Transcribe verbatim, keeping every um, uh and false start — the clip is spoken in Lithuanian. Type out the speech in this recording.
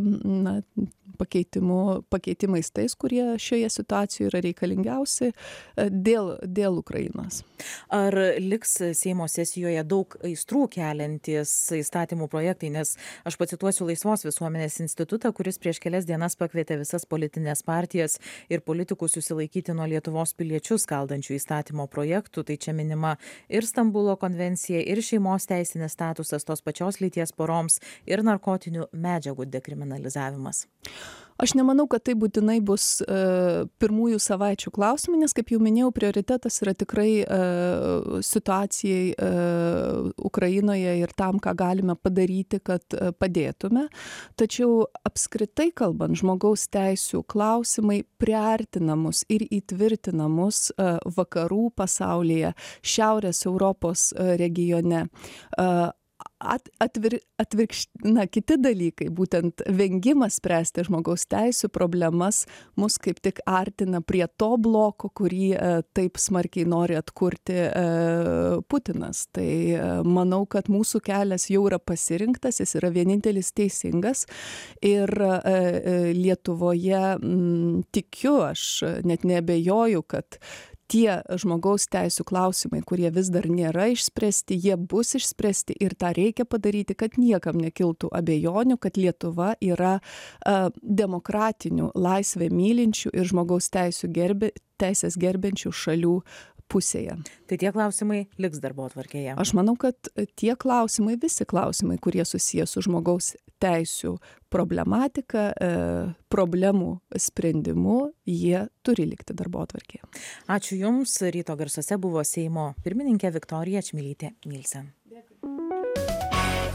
na, pakeitimu, pakeitimais tais, kurie šioje situacijoje yra reikalingiausi dėl, dėl Ukrainos. Ar liks Seimo sesijoje daug aistrų keliantys įstatymų projektai, nes aš pacituosiu Laisvos visuomenės institutą, kuris prieš kelias dienas pakvietė visas politinės partijas ir politikus susilaikyti nuo Lietuvos piliečius skaldančių įstatymo projektų. Tai čia minima ir Stambulo konvencija, ir šeimos teisinis statusas tos pačios lyties poroms, ir narkotinių medžiagų dekriminalizavimas. Aš nemanau, kad tai būtinai bus e, pirmųjų savaičių klausimai, nes, kaip jau minėjau, prioritetas yra tikrai e, situacijai e, Ukrainoje ir tam, ką galime padaryti, kad e, padėtume. Tačiau apskritai kalbant, žmogaus teisių klausimai priartinamus ir įtvirtinamus e, vakarų pasaulyje, Šiaurės Europos e, regione. E, At, atvir, atvirkšt, na, kiti dalykai, būtent vengimas spręsti žmogaus teisių problemas, mus kaip tik artina prie to bloko, kurį e, taip smarkiai nori atkurti e, Putinas. Tai e, manau, kad mūsų kelias jau yra pasirinktas, jis yra vienintelis teisingas ir e, Lietuvoje m, tikiu, aš net neabejoju, kad tie žmogaus teisių klausimai, kurie vis dar nėra išspręsti, jie bus išspręsti ir tą reikia padaryti, kad niekam nekiltų abejonių, kad Lietuva yra uh, demokratinių, laisvę mylinčių ir žmogaus teisių gerbė, teisės gerbiančių šalių pusėje. Tai tie klausimai liks darbotvarkėje? Aš manau, kad tie klausimai, visi klausimai, kurie susiję su žmogaus teisių problematika, e, problemų sprendimu, jie turi likti darbotvarkėje. Ačiū Jums. Ryto garsuose buvo Seimo pirmininkė Viktorija Čmilytė Nilsen.